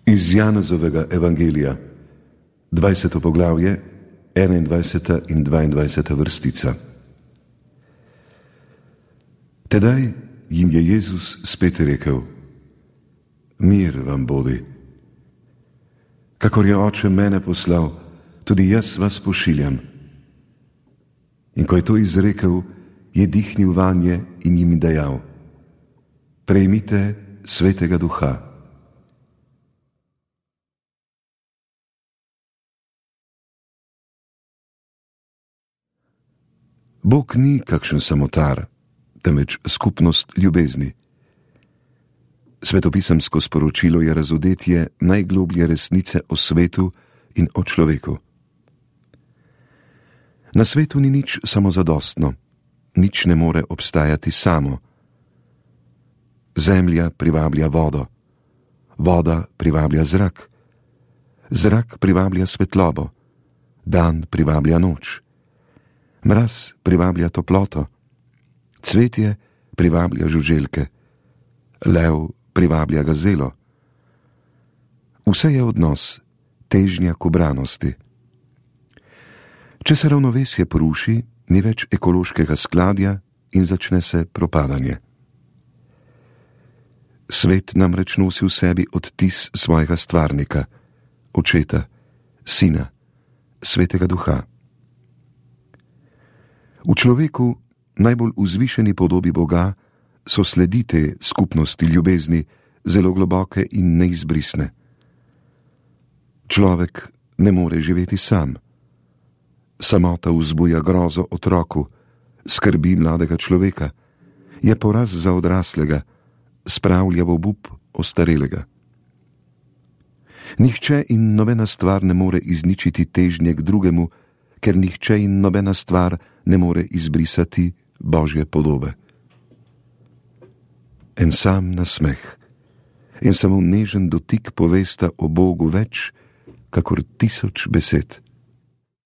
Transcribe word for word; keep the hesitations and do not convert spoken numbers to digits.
Iz Janezovega evangelija, dvajseto poglavje, enaindvajseta in dvaindvajseta vrstica. Tedaj jim je Jezus spet rekel: Mir vam bodi. Kakor je Oče mene poslal, tudi jaz vas pošiljam. In ko je to izrekel, je dihnil vanje in jim dejal: Prejmite Svetega Duha. Bog ni kakšen samotar, temveč skupnost ljubezni. Svetopisemsko sporočilo je razodetje najgloblje resnice o svetu in o človeku. Na svetu ni nič samozadostno, nič ne more obstajati samo. Zemlja privablja vodo, voda privablja zrak, zrak privablja svetlobo, dan privablja noč, mraz privablja toploto, cvetje privablja žuželke, lev privablja gazelo. Vse je odnos, težnja k ubranosti. Če se ravnovesje poruši, ni več ekološkega skladja in začne se propadanje. Svet namreč nosi v sebi odtis svojega stvarnika, Očeta, Sina, Svetega Duha. V človeku, najbolj vzvišeni podobi Boga, so sledi te skupnosti ljubezni zelo globoke in neizbrisne. Človek ne more živeti sam. Samota vzbuja grozo otroku, skrbi mladega človeka, je poraz za odraslega, spravlja v obup ostarelega. Nihče in nobena stvar ne more izničiti težnje k drugemu, ker nihče in nobena stvar ne more izbrisati Božje podobe. En sam nasmeh, en samo nežen dotik povesta o Bogu več, kakor tisoč besed.